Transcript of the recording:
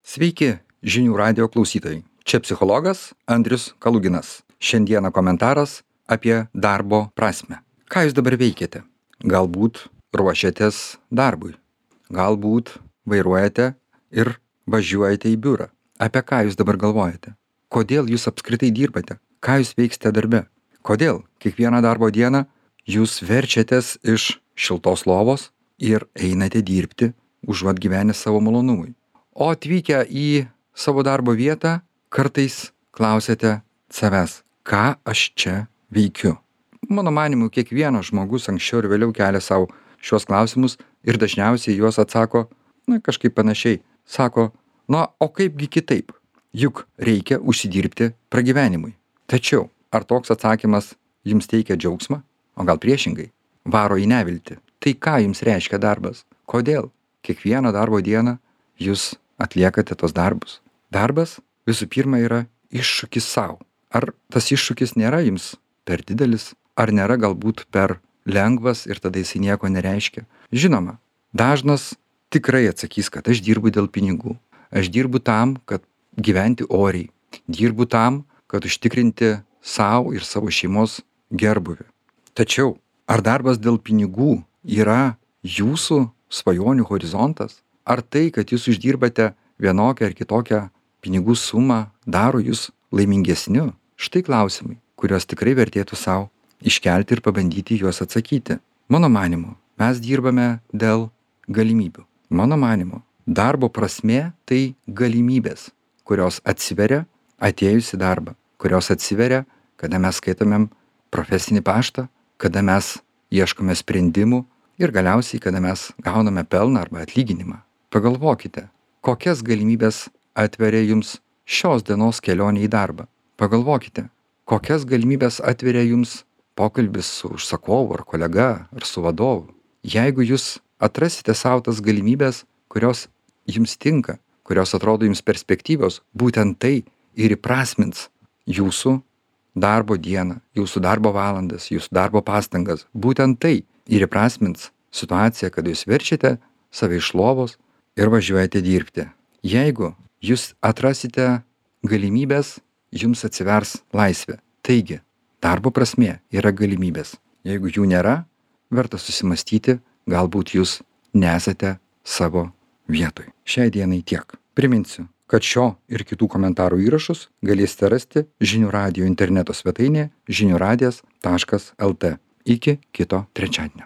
Sveiki, žinių radio klausytojai. Čia psichologas Andrius Kaluginas. Šiandieną komentaras apie darbo prasmę. Ką jūs dabar veikiate? Galbūt ruošiatės darbui. Galbūt vairuojate ir važiuojate į biurą. Apie ką jūs dabar galvojate? Kodėl jūs apskritai dirbate? Ką jūs veiksite darbe? Kodėl kiekvieną darbo dieną jūs verčiatės iš šiltos lovos ir einate dirbti, užuot gyvenę savo malonumui? O atvykę į savo darbo vietą, kartais klausiate savęs, ką aš čia veikiu. Mano manymu, kiekvienas žmogus anksčiau ir vėliau kelia savo šios klausimus ir dažniausiai juos atsako, kažkaip panašiai. Sako, o kaipgi kitaip? Juk reikia užsidirbti pragyvenimui. Tačiau, ar toks atsakymas jums teikia džiaugsmą? O gal priešingai? Varo į neviltį. Tai ką jums reiškia darbas? Kodėl? Kiekvieną darbo dieną jūs atliekate tos darbus. Darbas visų pirma yra iššūkis savo. Ar tas iššūkis nėra jums per didelis, ar nėra galbūt per lengvas ir tada jisai nieko nereiškia? Žinoma, dažnas tikrai atsakys, kad aš dirbu dėl pinigų. Aš dirbu tam, kad gyventi oriai. Dirbu tam, kad užtikrinti savo ir savo šeimos gerbuvį. Tačiau, ar darbas dėl pinigų yra jūsų svajonių horizontas? Ar tai, kad jūs uždirbate vienokią ar kitokią pinigų sumą, daro jūs laimingesniu? Štai klausimai, kuriuos tikrai vertėtų savo iškelti ir pabandyti juos atsakyti. Mano manymu, mes dirbame dėl galimybių. Mano manymu, darbo prasmė tai galimybės, kurios atsiveria atėjus į darbą, kurios atsiveria, kada mes skaitomėm profesinį paštą, kada mes ieškome sprendimų ir galiausiai, kada mes gauname pelną arba atlyginimą. Pagalvokite, kokias galimybės atveria jums šios dienos kelionė į darbą. Pagalvokite, kokias galimybės atveria jums pokalbis su užsakovu ar kolega ar su vadovu. Jeigu jūs atrasite savo tas galimybės, kurios jums tinka, kurios atrodo jums perspektyvios, būtent tai ir įprasmins jūsų darbo dieną, jūsų darbo valandas, jūsų darbo pastangas. Būtent tai ir įprasmins situaciją, kad jūs verčiate save iš lovos ir važiuojate dirbti. Jeigu jūs atrasite galimybės, jums atsivers laisvė. Taigi, darbo prasmė yra galimybės. Jeigu jų nėra, verta susimastyti, galbūt jūs nesate savo vietoj. Šiai dienai tiek. Priminsiu, kad šio ir kitų komentarų įrašus galėsite rasti Žinių radijo interneto svetainėje žiniųradijas.lt. Iki kito trečiadienio.